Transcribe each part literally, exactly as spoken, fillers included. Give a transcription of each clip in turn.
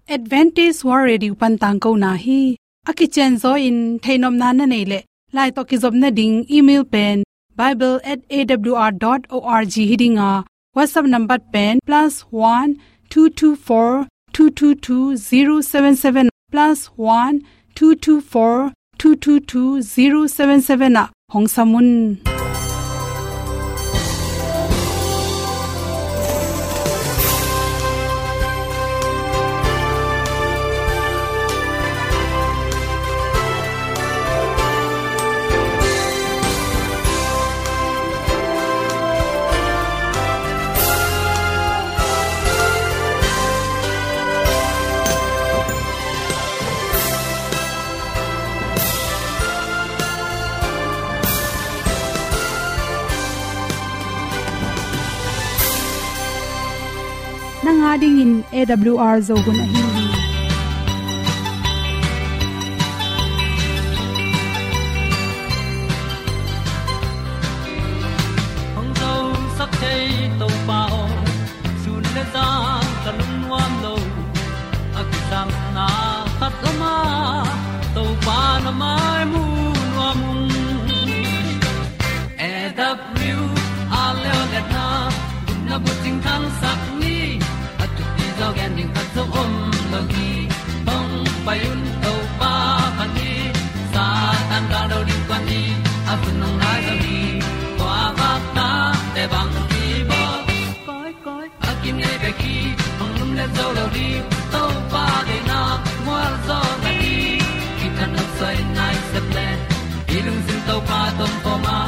Adventist World Radio pan tangkona hi. A kicianzaw in theihnopna na neih leh, lai tawh kizopna ding email pen bible at A W R dot org hi ding a, WhatsApp number pen plus one two two four two two two zero seven seven, plus one two two four two two two zero seven seven ah hong sam un. Nang a dingin A W R Zo hun ahi hi. Hong zosak thei Topa aw, sun le zan ka lungnuam lo. A kisapna khat om a, Topa na mai mu nuam ung. A W R Leo le na, gupna bucing thangsak ni, a thupi zaw gen ding khat zong om lo hi. Hong pai un Topa phat ni, Satan gal do ding kuan ni, a hun hong nai zaw hi. Kua vak ta te bang hi bawl. Koi, koi, a kinei bek hi, hong lum le zo lo ding, Topa deihna mual zaw na hi. Kithat nop suai nai sep le, i lungsim Topa tawh om a,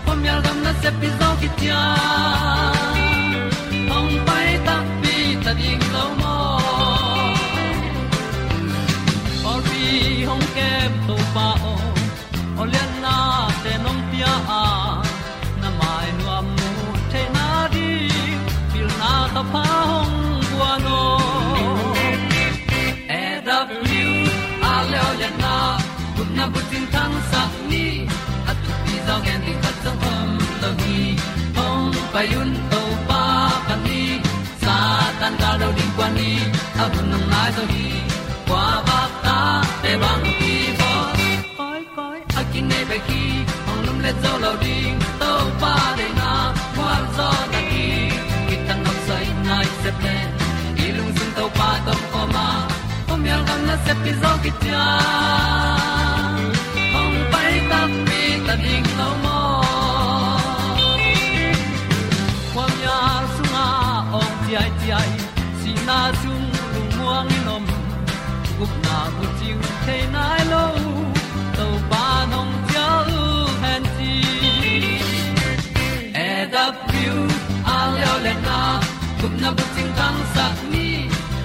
khuamial gam nasep pi zaw khit ciang, hong pai takpi ta ding lo maw. Pawlpi hong kem Topa aw, aw lianna te nong pia a, na mai nuam mu theihna ding, pilna thapha hong guan aw. A W R Leo le na, gupna bucing thangsak ni, a thupi zaw gen ding khat zong om lo hi. Hong pai un Topa phat ni, Satan gal do ding kuan ni, a hun hong nai zaw hi. Kua vak ta te bang hi bawl. Koi, koi, a kinei bek hi, hong lum le zo lo ding, Topa deihna mual zaw na hi. Kithat nop suai nai sep le, i lungsim Topa tawh om a, khuamial gam nasep pi zaw khit ciang, hong pai takpi ta ding lo maw. Khuamial sungah awng ciaiciai, sihna sung lungmuang in om, gupna bucing thei nai lo, Topa nong cial hen ci. A W R Leo le na, gupna bucing thangsak ni,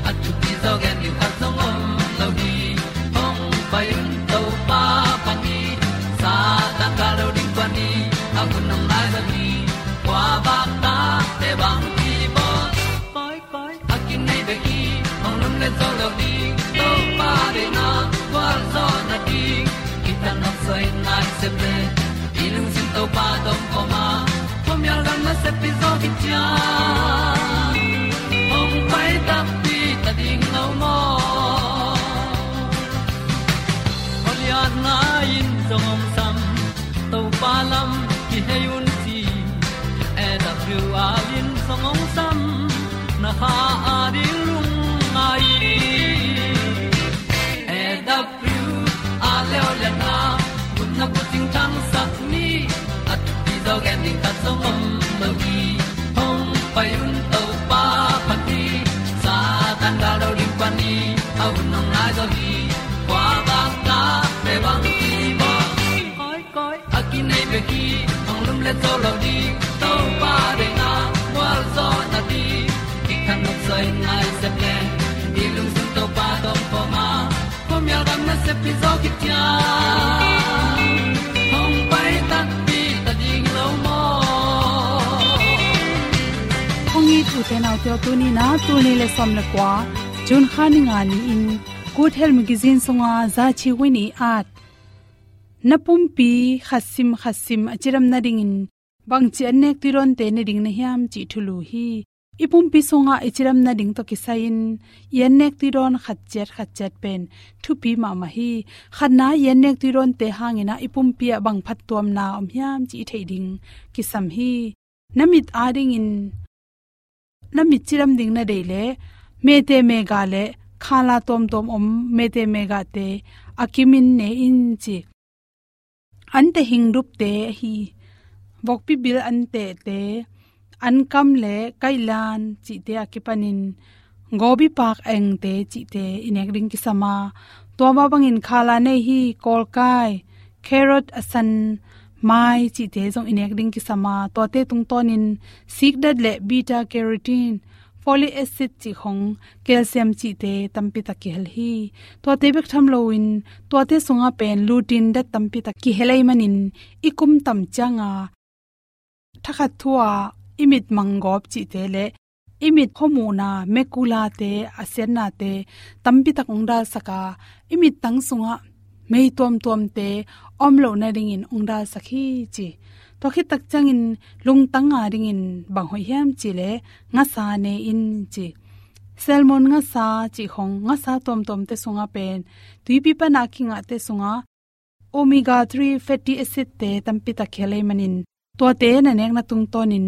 a thupi zaw gen ding khat zong om lo hi. Hong pai un Topa phat ni, Satan gal do ding kuan ni, a hun hong nai zaw hi. Kua vak ta te bang hi bawl. Koi, koi, a kinei bek hi, hong lum le zo lo ding, Topa deihna gualzawhna ding. Kithat nop suai nai sep le, i lungsim Topa tawh om a, khuamial gam nasep pi zaw khit ciang, hong pai takpi ta ding lo maw. Khualiatna in zong hong sam, Topa lam kihei un ci. A W R in zong hong sam, na kha a ding lungngai. A W R Leo le na, gupna bucing thangsak ni, a thupi zaw gen ding khat zong om lo hi. Hong pai un Topa phat ni, Satan gal do ding kuan ni, a hun hong nai zaw hi. Kua vak ta te bang hi bawl. Koi, koi, a kinei bek hi, hong lum le zo lo ding, Topa deihna gualzawhna ding. Kithat nop suai nai sep le, i lungsim Topa tawh om a, khuamial gam nasep pi zaw khit ciang, hong pai takpi ta ding lo maw. Hong it u te nau te aw, tuni-in ah, tul nih le sawm le kua, June kha ni nga ni-in, Good Health Magazine sunga za Chi Win i at, na pumpi khat sim khat sim a cidam nadingin bangci an nek tuidawnte ne ding na hiam cih thulu hi. I pumpi sungah i cidam nading tawh kisai-in i annek tuidawn khat ciat khat ciat pen thupi mahmah hi. Khatna, i annek tuidawnte hangin ah i pumpi ah bang phattuamna om hiam cih i theih ding kisam hi. Na mit adingin, na mit cidam ding na deih leh, mete mega leh khala tuamtuam om mete megate a kimin ne in ci. Ante hingdupte ahi, vokpi bil antehte, ankam leh kaihlan cihte a kipanin, gobi pak engte cihte i nek ding kisam a, tua mah bangin khala nei hi, kawlkai, carrot a san, mai cihte zong i nek ding kisam a, tuate tungtawnin sikdat leh beta carotene, folic acid cih khong, calcium cihte tampi tak kihel hi. Tuate bek tham loin, tuate sungah pen lutin dat tampi tak kihel ahih manin, i kum tam cianga thakhat thu-a i mit manggawp cihte leh i mit khuamuhna, macula-te, a siatnate tampi tak hong dalsak a, i mittang sungah mei tuamtuamte om loh nadingin hong dalsak hi ci. Tua khit tak ciangin lungtang adingin bang hoih hiam cih leh ngasa ne in ci. Salmon ngasa cih khong, ngasa tuamtuamte sungah pen, tuipi pana kingahte sungah omega three fatty acid-te tampi tak kihel ahih manin, tuate na nekna tungtawnin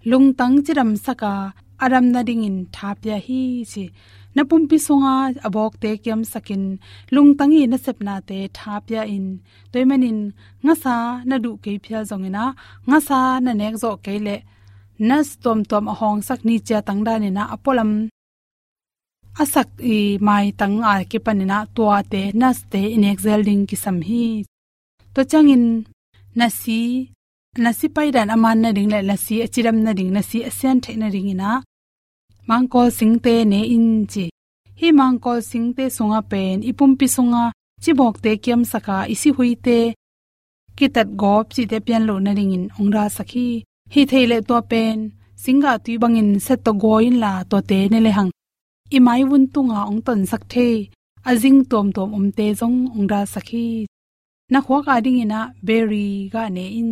lungtang cidamsak a, a dam nadingin tha pia hi ci. Na pumpi sunga a bawkte kiamsakin, lungtang i nasepnate tha pia in. Tua ahih manin ngasa na duh kei phial zongin ah, ngasa na nek zawh kei leh, nuts tuamtuam a hawngsak ni cia tang danin ah, a pualam a sak i maitang a kipanin ah, tuate, nuts-te i nek zel ding kisam hi. Tua ciangin nasi, nasi paidan a man nading leh nasi a cidam nading, nasi a sian theih nadingin ah, mangkawl singte ne in ci. Hih mangkawl singte sungah pen i pumpi sunga cibawkte kiamsak a, i sihuite kitat gawp cihte pian loh nadingin hong dalsak hi. Hih theih leh tua pen singgah tui bangin set tawh gawi inla, tuate ne lehang i maivun tunga hong tonsak thei a zing tuamtuam omte zong hong dalsak hi. Na khuak adingin ah berry gah ne in.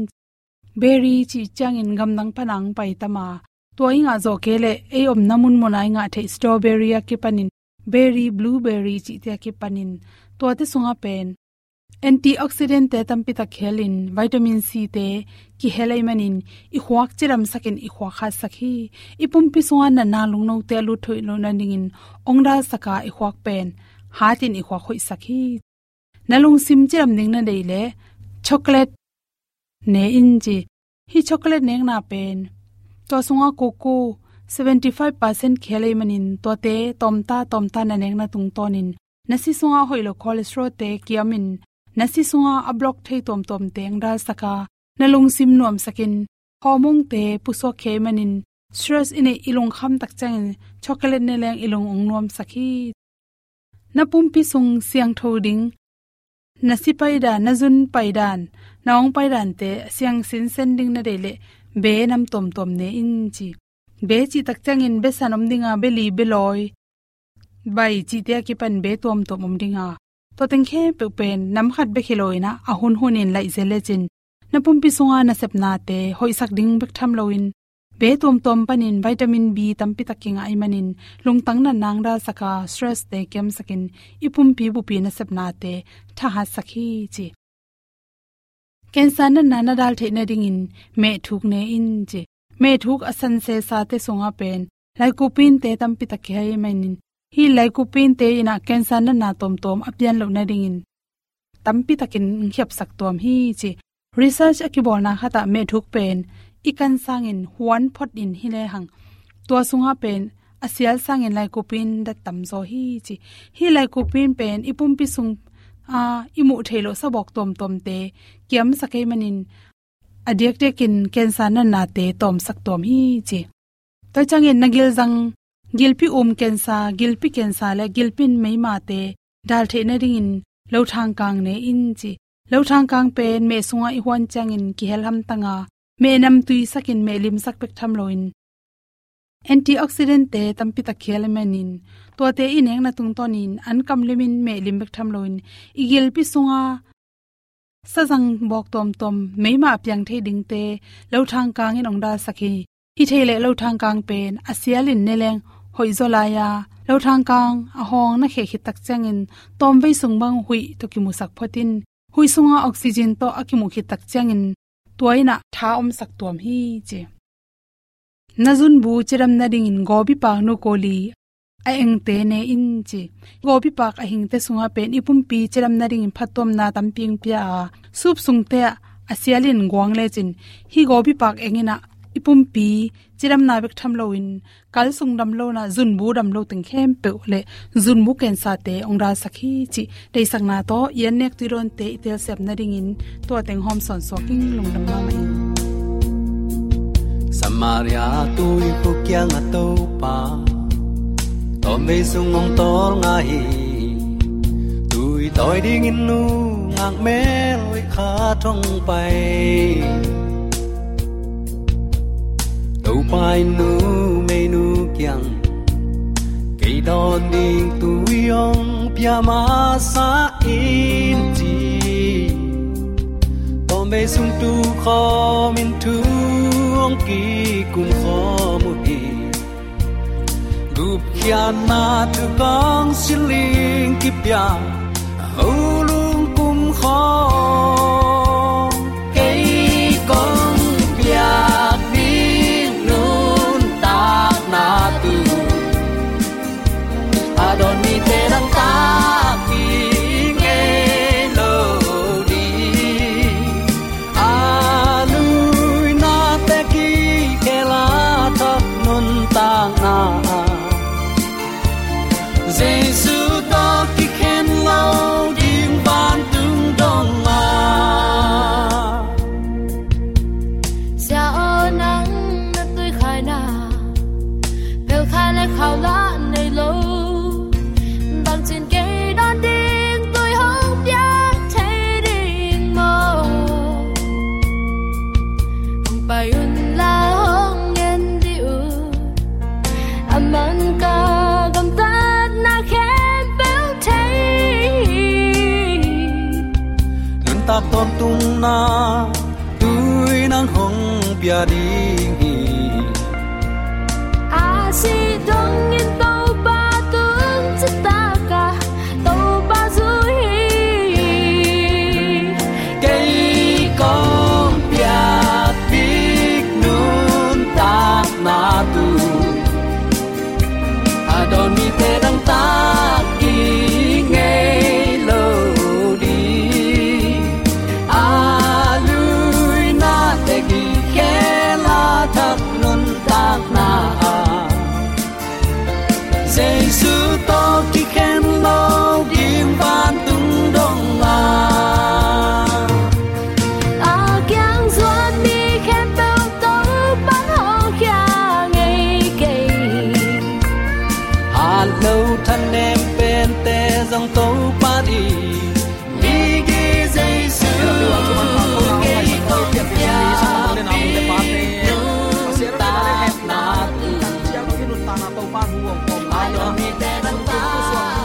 Berry cih ciangin gamdang pana hong pai tam a, tua i ngah zawh kei leh, ei omna munmuna i ngah theih strawberry a kipanin, berry, blueberry cihte a kipanin, tuate sungah pen antioxidant-te tampi tak kihel in, vitamin C-te kihel ahih manin, i khuak cidamsakin i khuak hatsak hi. I pumpi sunga natna lungnote a lut hoih loh nadingin hong dalsak a, i khuak pen hatin i khuak hoihsak hi. Na lungsim cidam ding na deih leh chocolate ne in ci. Hih chocolate nekna pen, tua sunga cocoa seventy five percent kihel ahih manin, tuate tawmta tawmta na nekna tungtawnin, na si sunga hoih lo cholesterol-te kiamin, na si sunga a block thei tuamtuamte hong dalsak a, na lungsim nuamsakin, hormone-te pusuak khia ahih manin, stress i neih, i lungkham tak ciangin chocolate ne leng i lung hong nuamsak hi. Na pumpi sung siangtho ding, na si paidan, na zun paidan, na awng paidante siang sinsen ding na deih leh, be nam tuamtuam ne in ci. Be cih tak ciangin besan om ding a, beli, belawi, bai cihte a kipan be tuamtuam om ding a, tua teng khempeuh pen nam khat bek hi loin ah, a hunhunin laih zel lecin, na pumpi sunga nasepnate hoihsak ding bek tham loin, be tuamtuam panin vitamin B tampi tak kingah ahih manin, lungtang natna hong dalsak a, stress-te kiamsakin, i pumpi bupi nasepnate thahatsak hi ci. Cancer natna na dal theih nadingin mehthuk ne in ci. Mehthuk a san sesate sungah pen lycopene-te tampi tak kihel ahih manin, hih lycopene-te in ah cancer natna tuamtuam a pian loh nadingin tampi takin hong khiapsak tuam hi ci. Research a kibawlna khatah mehthuk pen i kan sangin huan phot in hi lehang, tua sungah pen a sial sangin lycopene dat tamzaw hi ci. Hih lycopene pen i pumpi sung a i muh theih loh sabawk tuamtuamte kiamsak ahih manin, a diakdiakin cancer natnate tawmsak tuam hi ci. Tua ciangin na gilzang, gilpi um cancer, gilpi cancer leh gilpi meimate dal theih nadingin lothangkang ne in ci. Lothangkang pen meh sungah i huan ciangin kihel hamtang a, meh nam tuisakin meh limsak bek tham loin, antioxidant-te tampi tak kihel ahih manin, tuate i nekna tungtawnin an kamlimin meh lim bek tham loin, i gilpi sunga sazang bawk tuamtuam meima a piang thei dingte lothangkang in hong dalsak hi. Hih thei leh lothang kang pen a sialin ne leng hoih zaw lai a, lothang kang a hawng na kheh khit tak ciangin tawmvei sung bang huih tawh kimusak phot in, huih sunga oxygen tawh a kimuh khit tak ciangin tua in ah tha omsak tuam hi ci. Na zunbu cidam nadingin gawbipak nu kawli a engte ne in ci. Gawbipak a hingte sungah pen i pumpi cidam nadingin phattuamna tampi eng pia a, sup sungte ah a sialin guang lecin hih gawbipak eng in ah i pumpi cidamna bek tham loin kal sung dam lo in ah zunbu dam lo teng khempeuh le zunbu kensate ong dalsak hi cih deihsakna tawh i an nek tuidawnte i telsiam nadingin tua teng hawm sawnsuak ing. Lungdam mahmah ing. Samaria tuikhuk kiangah Topa tawmvei sung ong tawlnga hi. Tui tawi dingin nungak mel hoih khat hong pai. Topa in numeinu kiang kei dawn ding tui ong pia masa in ci. Tawmvei sung tukhawm in thu ong kikum khawm uh hi. Gupkhiatna thukong siling kipia, ho lungkum khawm kei kong piak ding nuntakna tu. A dawn mite dang tak ding ngei lo ding. A luinate kikhel a thak nuntakna, Jesu tawh kikhen lo ding vantung dong a. Sia aw, nang na tuikhaina pelkhai le khau lah nei lo. Bangcin kei dawn ding tui hong piak thei ding maw? Hong pai un la, hong en dih un. A man ka gamtatna khempeuh thei. Nuntak tawntungna tui nang hong pia ding hi. A sih dongin Topa tung citak a Topa zui hi. Kei kong piak bik nuntakna tu. A dawn mite dang tak ding ngei lo ding. A luinate kikhel a thak nuntakna a, Jesu tawh kikhen lo ding vantung dong a. A kiang zuan mi khempeuh Topa'n hong khia ngei kei. Hat lo thanem pente zong Topa ding. Migi Jesu kei kong piak nuntakna tu. Topa thu hong kawm lai na, sungkung tu suak na,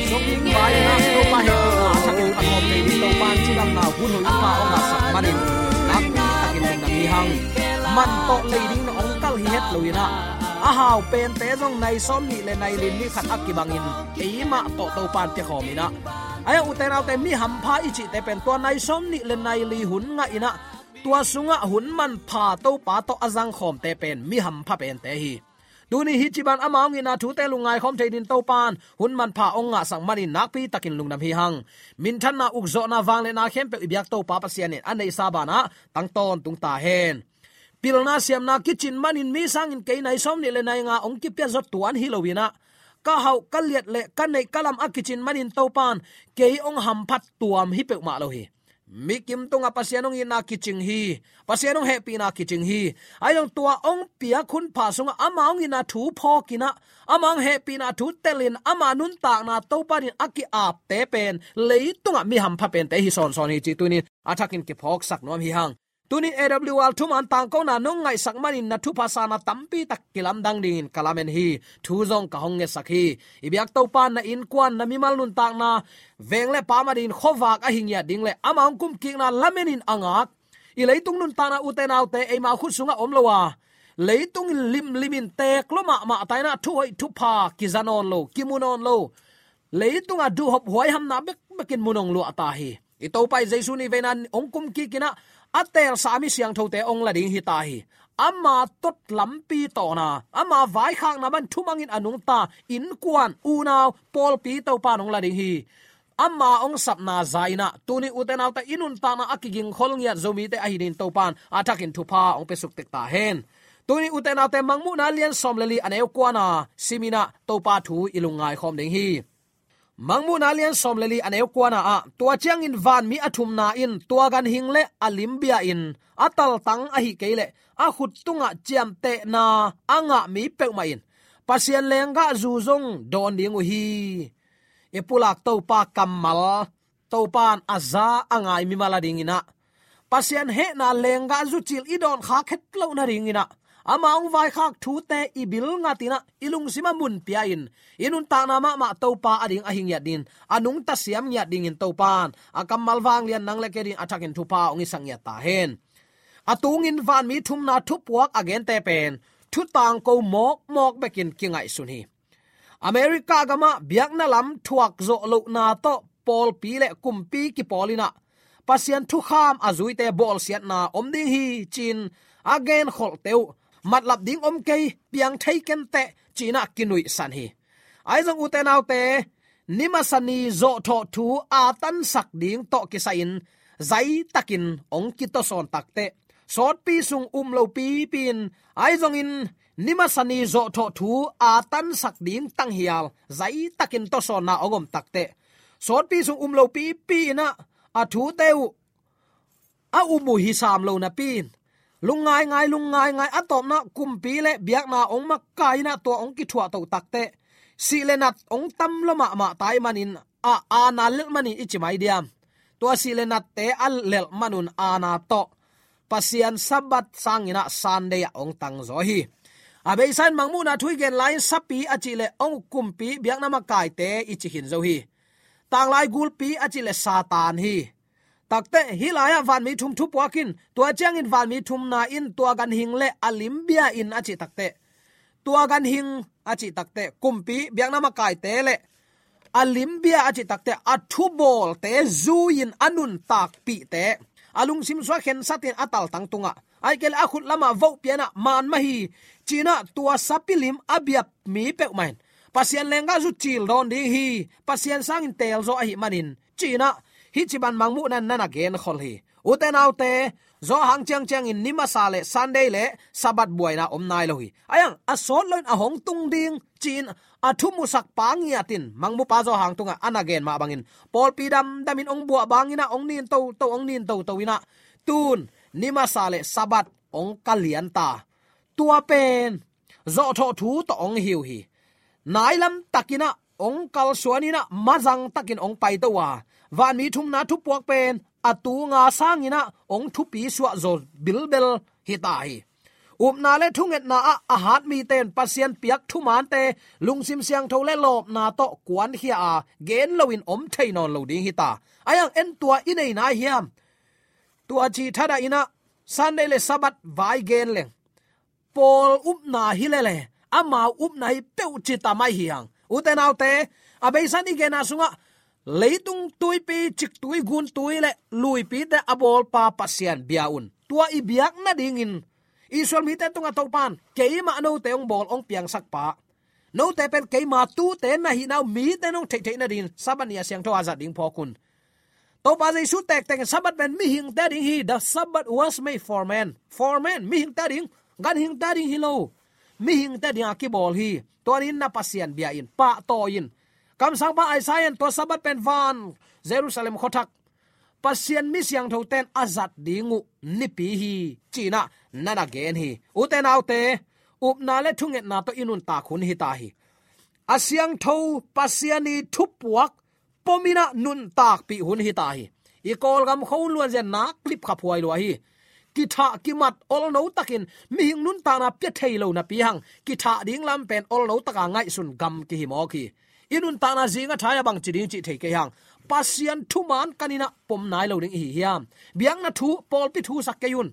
sungkung vai na, Topa hehpihna a thakin ka khawm kei ni, Topa in cidamna hun hoih pha hong ngahsak manin nakpi takin lungdam hi hang. Man tawh lei ding na hong kal hi het lo in ah, a hau pente zong nai sawmnih le nai li ni khat a kibangin eimah tawh Topa in pia khawm in ah, ahi a, ute naute, mi hampha i cihte pen tua nai sawmnih le nai li hun ngah in ah, tua sungah hun manpha Topa tawh a zang khawmte pen mi hampha pente hi. Tuni hih ci ban ama hong itna thute lungngai khawm thei dingin Topa in hun manpha hong ngahsak manin nakpi takin lungdam hi hang. Minthanna, ukzawhna, vangliatna khempeuh i biak Topa Pasian in a neihsa banah tang tawntung ta hen. Pilna siamna kicin manin mi sangin kei nai sawmnih le nai nga hong kipia zaw tuan hi lo in ah, ka hauh ka liat le ka neih ka lam a kicin manin Topa in kei hong hamphat tuam hi peuhmah lo hi. Mi kim tungah Pasian hong itna kicing hi. Pasian hong hehpihna kicing hi. Ahi zong tua hong piak hun pha sungah ama hong itna thu phawk in ah, ama hong hehpihna thu telin ama nuntakna Topa in a ki-apte pen leitungah mi hampha pente hi sawnsawn hi cih tuni-in a thakin kiphawksak nuam hi hang. Tuni-in A W R thuman tangkona nong ngaihsak manin na thupha sana tampi tak kilamdang dingin ka lamen hi. Thu zong ka hong ngetsak hi. I biak Topa in na innkuan, na mimal nuntakna, veng le pam adingin khuavak a hi ngiat ding le ama hong kumkikna lamenin a ngak, i leitung nuntakna, ute naute, eima khut sungah om lo a, Leitung in limlim in teek lua mahmah ta in ah, thuhoih thupha kiza nawn lo, kimu nawn lo. Leitung a duhhop huaihamna bekbek in mu nong luah ta hi. I Topa i Jesu nihveina hong kum kik in ah, a teelsa mi siangthote hong la ding hi ta hi. Ama tot lampi tawhna, ama vaikhakna bang thumang in a nungta innkuan, unau, pawlpi Topa in hong la ding hi. Ama hong sapna za in ah, tuni u te nau te i nuntakna a kigingkhol ngiat Zomite ahi dingin Topa in a thakin thupha hong piasuk tek ta hen. Tuni u te nau te, Mangmuhna lian sawm le li, a neu kuana sim in ah Topa thu i lungngai khawm ding hi. Mangmuhna lian sawm le li, a neu kuana ah, tua ciangin vanmi a thumna in tua ganhing le a lim bia in, a taltang ahih kei leh a khut tungah ciamtehna a ngah mi peuhmah in Pasian lenggahzu zong dawn ding uh hi. I pulak Topa kammal, Topa in a za a ngai mimal a ding in ah, Pasian hehna lenggahzu cil i dawn khak het loh nading in ah, ama hong vaikhak thute i bil ngat in ah, i lungsim ah mun pia in, i nuntakna mahmah Topa a ding ahi ngiat dingin, a nungta siam ngiat dingin Topa in a kammal vanglian nang le kei dingin a thakin thupha hong hisak ngiat ta hen. A tungin vanmi thumna thupuak a gente pen thu tangko mawkmawk bekin kingaihsun hi. America gamah biakna lam thuak zawh lohna tawh pawlpi le kumpi kipawl in ah, Pasian thukham a zuite bawlsiatna om ding hi ci-in a genkholhte uh, matlap ding om kei, piang thei ken teh ci-in ah kinuihsan hi. Ahi zong u te nau te, ni masa ni zawhthawh thu a tansak ding tawh kisai-in zaitakin hong kitawsawn tak teh, sawtpi sung um lo pipi in, ahi zongin ni masa ni zawhthawh thu a tansak ding tanghial zaitakin tawsawnna hong om tak teh, sawtpi sung um lo pipi in ah, a thute uh a um uh hi sam lo napi in, lungngaingai, lungngaingai, a tawpna kumpi le biakna hong makai in ah tua hong kithuahtoh tak teh, sih le nat hong tam lua mahmah ta ahih manin, a aana lelh manin i ci mai diam? Tua sih le natte a lelh man un aana tawh Pasian Sabbath sangin ah Sunday ah hong tangzaw hi. A beisa in Mangmuhna thu i gen lai-in sapi a cih leh hong kumpi biakna makaite i ci khin zo hi. Tanglai gulpi a cih leh Satan hi. Tak teh, hih lai-ah vanmi thum thupuak in, tua ciangin vanmi thumna in tua ganhing le a lim bia in a cih tak teh, tua ganhing a cih tak teh, kumpi biakna makaite le a lim bia a cih tak teh, a thubawlte zui-in a nuntakpihte, a lungsim sung ah khensat in a taltang tungah, ahih kei leh a khut lamah voh pia in ah man mah hi ci-in ah tua sapi lim a biap mi peuhmah in Pasian lenggahzu cil dawn ding hi, Pasian sangin teelzaw ahih manin ci-in ah, hih ci bang Mangmuhna in na na genkhol hi. U te nau te, zawhang ciangciangin ni masa le Sunday le Sabbath buaina om nai lo hi. Ahi zong a sawt loin a hong tung ding ci-in a thumusak pa ngiat in Mangmuhpa zawhang tungah a na gen mah bangin, pawlpi damdamin hong buah bang in ah, hong nin toto, hong nin toto in ah, tun ni masa le Sabbath hong ka lian ta. Tua pen zawhthawh thu tawh hong hi uh hi. Nailam takin ah hong kalsuan in ah, mazang takin hong paito a, vanmi thumna thupuak pen a tunga sangin ah hong thupi suahzaw bilbel hi ta hi. Upna le thungetna ah a hat mite in Pasian piak thumante lungsim siangtho le lawpna tawh kuankhia a, gen loin om thei nawn lo ding hi ta. Ahi zong en, tua i nei nai hiam? Tua cih thadah in ah Sunday le Sabbath vai gen leng, pawl upna hi lele, amau upna hi peuh ci ta mai hi hang. U te nau te, a beisa in i genna sungah leitung tuipi, ciktui, guntui le luipite a bawlpa Pasian bia un. Tua i biak nadingin Israel mite tungah Topa in, keimah note hong bawl, hong piangsak pa, note pen keima tuute na hihna uh mite in hong theihtheih nadingin Sabbath ni a siangtho a zat ding phawk un. Topa Jesu tektekin Sabbath pen mihingte ading hi. The Sabbath was made for man. For man, mihingte ading, ganhingte ading hi lo. Mihingte adinga kibawl hi. Tua ni-in na Pasian bia in, pahtawi in. Kamsangpa Isaiah in tua Sabbath pen van Jerusalem khuathak, Pasian mi siangthote in a zat ding uh nipi hi ci-in ah na na gen hi. U te nau te, upna le thungetna tawh i nuntak hun hi ta hi. A siangtho Pasian i thupuak pom in ah nuntakpih hun hi ta hi. I Kawlgam khuahun luanzia nak lipkhaphuai lua hi. Kithah kimat olno takin mihing nuntakna pia thei lo napi hang, kithah ding lam pen olno taka ngaihsun gam kihi mawk hi. I nuntakna zing a thai a bangci ding cih thei kei hang. Pasian thuman kan in ah pom nai lo ding i hi hiam? Biakna thu, pawlpi thu sak kei un.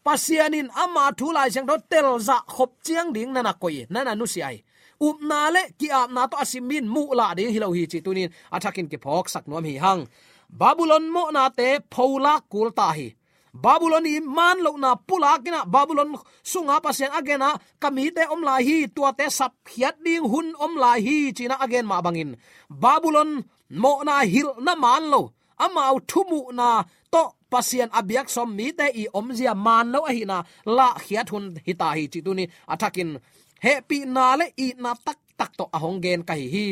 Pasian in ama thu Lai Siangtho telzah khop ciang ding na na koih, na na nusia hi. Upna le ki-apna tawh a sim mi in muhlah ding hi lo hi cih tuni in a thakin kiphawksak nuam hi hang. Babylon mawhnate pholak kul ta hi. Babylon i man lohna pulak in ah, Babylon sunga Pasian a gen ah, ka mite om lai hi, tuate sapkhiat ding hun om lai hi, ci-in ah a gen mah bangin, Babylon mawhna hilhna man lo, amau thumuhna tawh Pasian a biak sawm mite i omzia man lo ahihna lahkhiat hun hi ta hi, cih tuni a thakin hehpihna le itna taktak tawh a hong gen ka hi hi.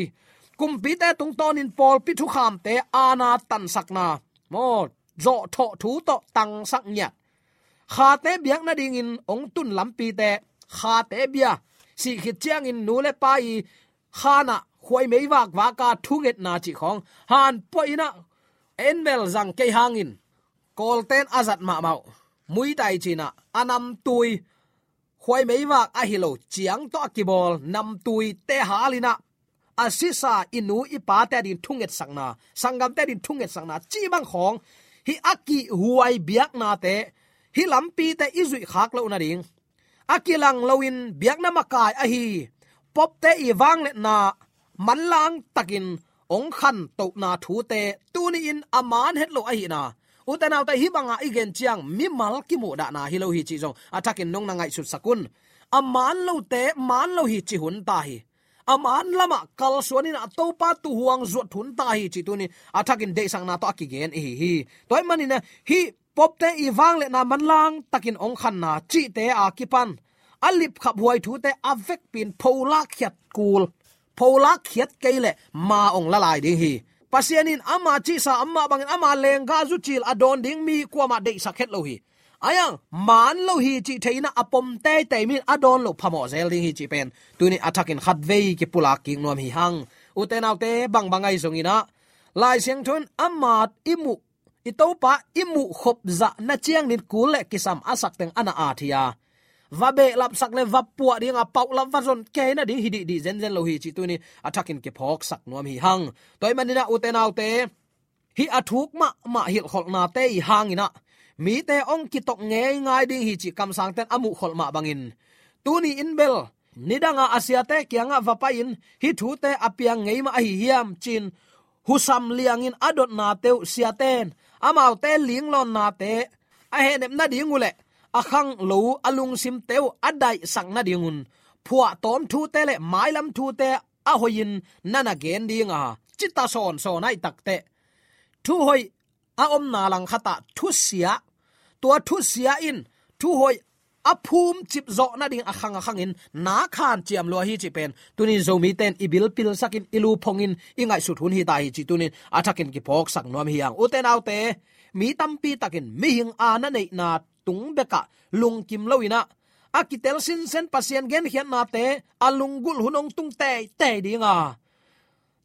Kumpite tungtawnin pawlpi thukhamte aana tansakna, maw, zawhthawh thu tawh tangsak ngiat. Khate biak nadingin hong tun lampite, khate bia, sih khit ciangin nu le pa i khan ah khuaimei vakvak a thungetna cih khawng, han puah in ah, en bel zang kei hangin, Kawlten a zat mahmah uh, Muay Thai ci-in ah, a namtui, khuaimei vak ahi lo, ciang tawh a kibawl namtuite hal in ah, a sisa i nu i pate adin thungetsakna, sanggamte adin thungetsakna cih bang khawng, hih a kihhuai biaknate, hih lampite i zuih khak loh nading, a kilang loin biakna makai ahi Pope-te i vangliatna manlang takin hong khantohna thute tuni-in a man het lo ahihna, ute naute, hih banga i gen ciang mimal kimuhdahna hi lo hi cih zong a thakin nong na ngaihsutsak un. A man lote man lo hi ci hun ta hi. A man lamah kalsuan in ah Topa tuuhuang zuat hun ta hi cih tuni a thakin deihsakna tawh a kigen i hi hi. Tua ahih manin ah hih Pope-te i vangliatna manlang takin hong khanna cihte a kipan a lipkhaphuai thute a vekpi-in pholak khiat kul, pholak khiat kei leh ma hong la lai ding hi. Pasian in ama cihsa, amah bangin ama lenggah zucil a dawn ding mi kuamah deihsak het lo hi. Ahi hang man lo hi cih thei in ah a pom teitei mi in a dawn loh phamawh zel ding hi cih pen tuni a thakin khatvei kipulak kik nuam hi hang. Ute naute, bangbang ahi zongin ah Lai Siangtho in ama i muh, i Topa i muh khop zahna ciangin kul le kisam a sak teng a na at hi a, va behlapsak le va puah ding a, paulap va zon kei nading hi dihdih zenzen lo hi cih tuni a thakin kiphawksak nuam hi hang. Tua ahih manin ah ute naute, hih a thuk mahmah hilhkholhnate i hangin ah mite hong kitok ngeingai ding hi cih kamsangten a muhkholh mah bangin, tuni in bel nidanga a siate kiangah va pai-in hih thute a piang ngei mah ahi hiam ci-in husam liangin a dotnate uh siaten amaute linglawnnate a hehnep nading uh le a khanglo a lungsimte uh a daihsak nadingun phuahtawm thute le mailam thute a hoihin na na gen ding a, cita sawnsawn ahih takteh, thuhoih a omna langkhatah thusia, tua thusia in thuhoih a phumcip zawh nading a khang a khangin nak hanciam lua hi cih pen tuni-in Zomite in i bilpilsakin i luphongin i ngaihsut hun hi ta hi cih tuni-in a thakin kiphawksak nuam hi hang. Ute naute, mi tampi takin mihing aana neihna tung bekah lungkim lo-in ah a kitel sinsen Pasian genkhiatnate a lunggulh hun hong tung teitei ding a,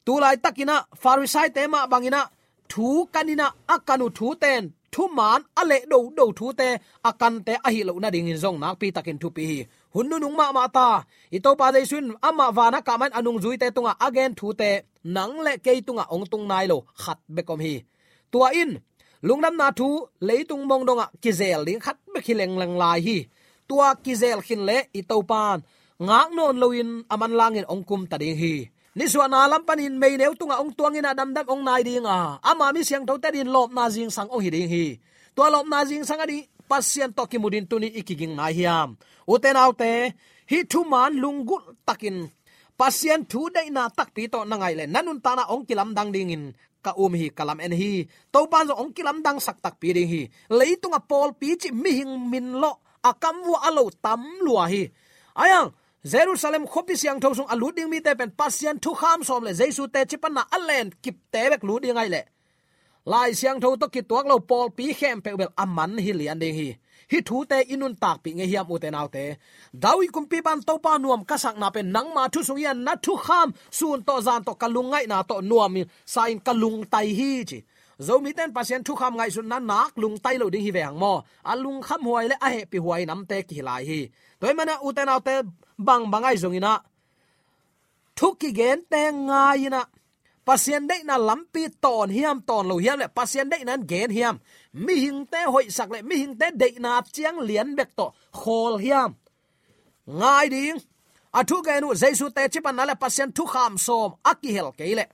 tu laitakin ah Farisaite mah bangin ah thu kan in ah a kan uh thute in thuman a leh dodo thute a kante ahi loh nadingin zong nakpi takin thupi hi. Hun nunung mahmah ta, i Topa Jesu in amah van a kah ma-in a nungzuite tungah a gen thute nang le kei tungah hong tung nai lo khat bek om hi. Tua in lungdamna thu leitung mong dongah kizel ding khat bek hi lengleng lai hi. Tua kizel khin leh i Topa in ngak nawn loin a manlangin hong kumta ding hi. Nisuahna lam panin meineu tungah hong tuangin a damdam hong nai ding a, ama mi siangthote adingin lawpna zingsang hong hi ding hi. Tua lawpna zingsang ading Pasian tawh kimu ding tuni i kiging nai hiam? Ute naute, hih thuman lunggulh takin Pasian thu deihna takpi tawh na ngaih leh na nuntakna hong kilamdang dingin ka um hi, ka lamen hi. Topa in zong hong kilamdangsak takpi ding hi. Leitungah pawlpi cih mihing min lawh a kamvuah a lo tam lua hi. Ahi hang Jerusalem khuapi siangtho sung a lut ding mite pen Pasian thukham sawm le Jesu teci panna a len kipte bek lut ding ahih leh Lai Siangtho tawh kituak lo pawlpi khempeuh bel a man hi lian ding hi. Hih thute i nuntakpih ngei hiam, ute naute? David kumpipa in Topa nuam ka sakna pen nangma thu sung hi a, na thukham sun tawh zan tawh ka lungngaihna tawh nuam sa-in ka lungtai hi, ci. Zomite in Pasian thukham ngaihsutna nak lungtai lo ding hi ve hang maw? A lungkhamhuai le a hehpihhuai namte kihi lai hi. Tua ahih manin ah ute naute, bangbang ahi zongin ah thu kigente ngai-in ah Pasian deihna lampi tawn hiam, tawn lo hiam, le Pasian deihna in gen hiam? Mihingte hoihsak le mihingte deihna ciang lian bek tawh khawl hiam? Ngai ding. A thugen uh Jesu teci panna le Pasian thukham sawm a kihel kei leh,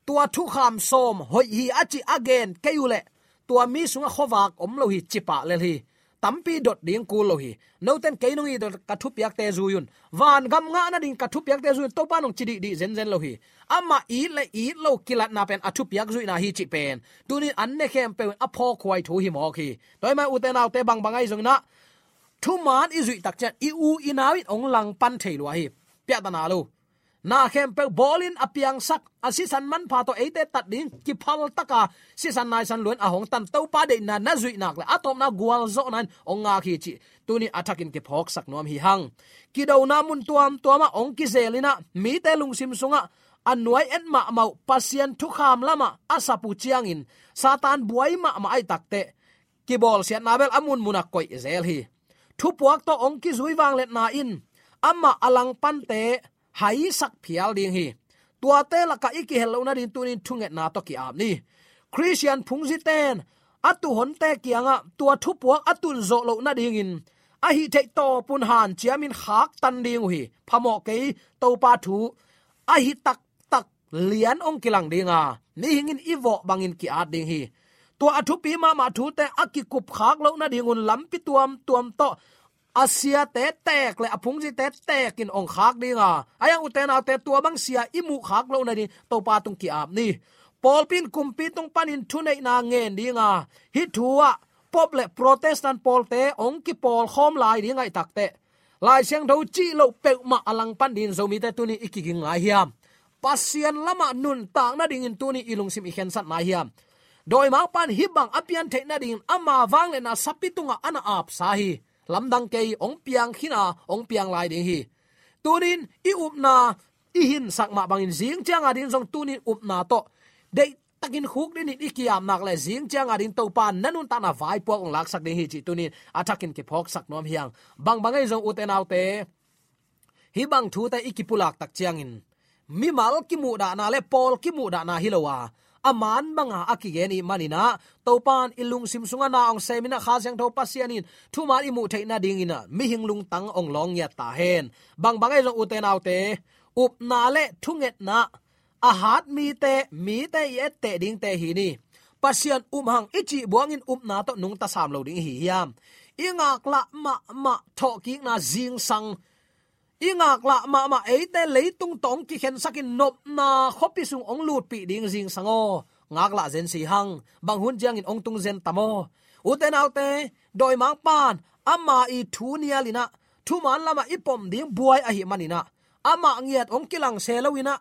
tua thukham sawm hoih hi a ci a gen kei uh leh, tua mi sungah khuavak om lo hi, ci pah lel hi. Tampi dot ding kul lo hi. Noten kei nong it uh ka thupiakte zui un, vangam ngah nading ka thupiakte zui un, Topa nong ci dihdih zenzen lo hi. Amah it le it lo kilatna pen a thupiak zuihna hi cih pen tunin an ne khempeuh in a phawkkhuai thu hi mawk hi. Tua ahih manin ute naute, bangbang ahi zongin ah, thuman i zuih tak ciang i u i nau in hong langpan thei lua hi. Piahtana lo. Na khempeuh bawlin a piangsak, a sisan manpha tawh eite tat ding kiphal taka sisan naisan luan a hong tan Topa deihna na zuih nak le a tawpna gualzawhna in hong ngak hi cih tuni a thakin kiphawksak nuam hi hang. Kidona mun tuamtuamah hong kizel in ah, mite lungsim sungah a nuai et mahmah uh Pasian thukham lamah a sap uh ciangin Satan buai mahmah ahih takteh, kibawlsiatna bel a munmunah koih zel hi. Thupuak tawh hong kizui vangliatna in amah a langpante haisak phial ding hi. Tuate lakah i kihel loh nading tunin thungetna tawh ki-ap ni. Khristian phungzite in a tuhonte kiangah tua thupuak a tunzawh loh nadingin a hih theih tawpun hanciamin khaktan ding uh hi. Phamawh kei, Topa thu a hi taktak lian hong kilang ding a, mihing in i vawh bangin ki-at ding hi. Tua a thupi mahmah thute a kikupkhak loh nadingun lampi tuamtuam tawh a siate teek le a phungzite teekin hong khak ding a, a yang ute naute, tua bang sia i muhkhak loh nading Topa tung ki-ap ni. Pawlpi in kumpi tung panin thuneihna ngen ding a, hih thu ah Pope le Protestant pawlte hong kipawlkhawm lai ding ahih takteh, Lai Siangtho cih loh peuhmah a langpan dingin Zomite tuni i kiging ngai hiam? Pasian lamah nuntak nadingin tuni i lungsim i khensat nai hiam? Dawimangpa in hih bang a pian theih nadingin ama vangliatna sapi tungah a na apsa hi. Lamdang kei, hong piang khin a, hong piang lai ding hi. Tunin i upna i hinsak mah bangin zing cianga ding zong tunin upna tawh deih takin khukdinin i ki-ap nak le zing cianga ding Topa na nuntakna vaipuak hong laksak ding hi cih tunin a thakin kiphawksak nuam hi hang. Bangbang ahi zong ute naute, hih bang thute i kipulak tak ciangin mimal kimuhdahna le pawl kimuhdahna hi lo a, a man banga a kigen i hih manin ah, Topa in i lungsim sungah na hong semin ah, Kha Siangtho Pasian in thuman i muh theih nadingin ah mihing lungtang hong lawng ngiat ta hen. Bangbang ahi zong ute naute, upna le thungetna a hat mite, mite i etteh dingte hi ni. Pasian um hang i cih buangin upna tawh nungta sam lo ding i hi hiam? I ngaklah mahmah thawhkikna zingsang, i ngaklah mahmah eite leitung tawh hong kikhensakin nopna khuapi sung hong lutpih ding zingsang aw, ngaklah zen si hang. Bang hun ciangin hong tung zen tam aw? Ute naute, dawimangpa in ama i thu nialin ah thuman lamah i pom ding buai ahih manin ah, amah ngiat hong kilang se loin ah,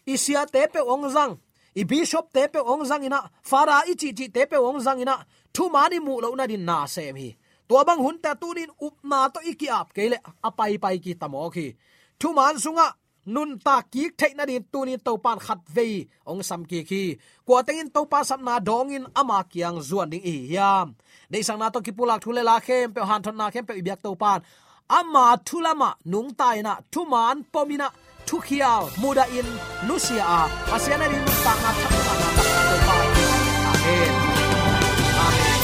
i siate peuh hong zang, i bishopte peuh hong zangin ah, Father i cihcihte peuh hong zangin ah, thuman i muh loh nadin na sem hi. Tua bang hunte tunin upna tawh i ki-ap kei leh a paipai kita mawk hi. Thuman sungah nuntak kik theih nadin tunin Topa in khatvei hong sam kik hi. Kua tengin Topa sapna dawngin ama kiang zuan ding i hi hiam? Deihsakna tawh kipulak thu le la khempeuh, hanthotna khempeuh i biak Topa in ama thu lamah nungta in ah, thuman pom in ah, thukhial mudahin nusia a, Pasian ading nuntakna thak, nuntakna thak Topa in. Amen. Amen.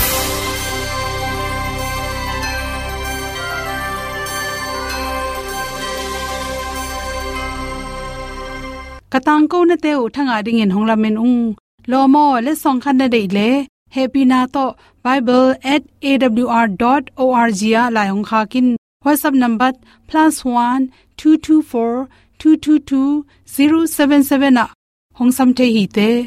Ka tangkonate uh thangah dingin hong lamen ung. Lawm aw, letsong khat na deih leh, hehpihna tawh bible at A W R dot O R G ah lai hong khak in. WhatsApp number plus one two two four two two two zero seven seven ah hong sam thei hi te.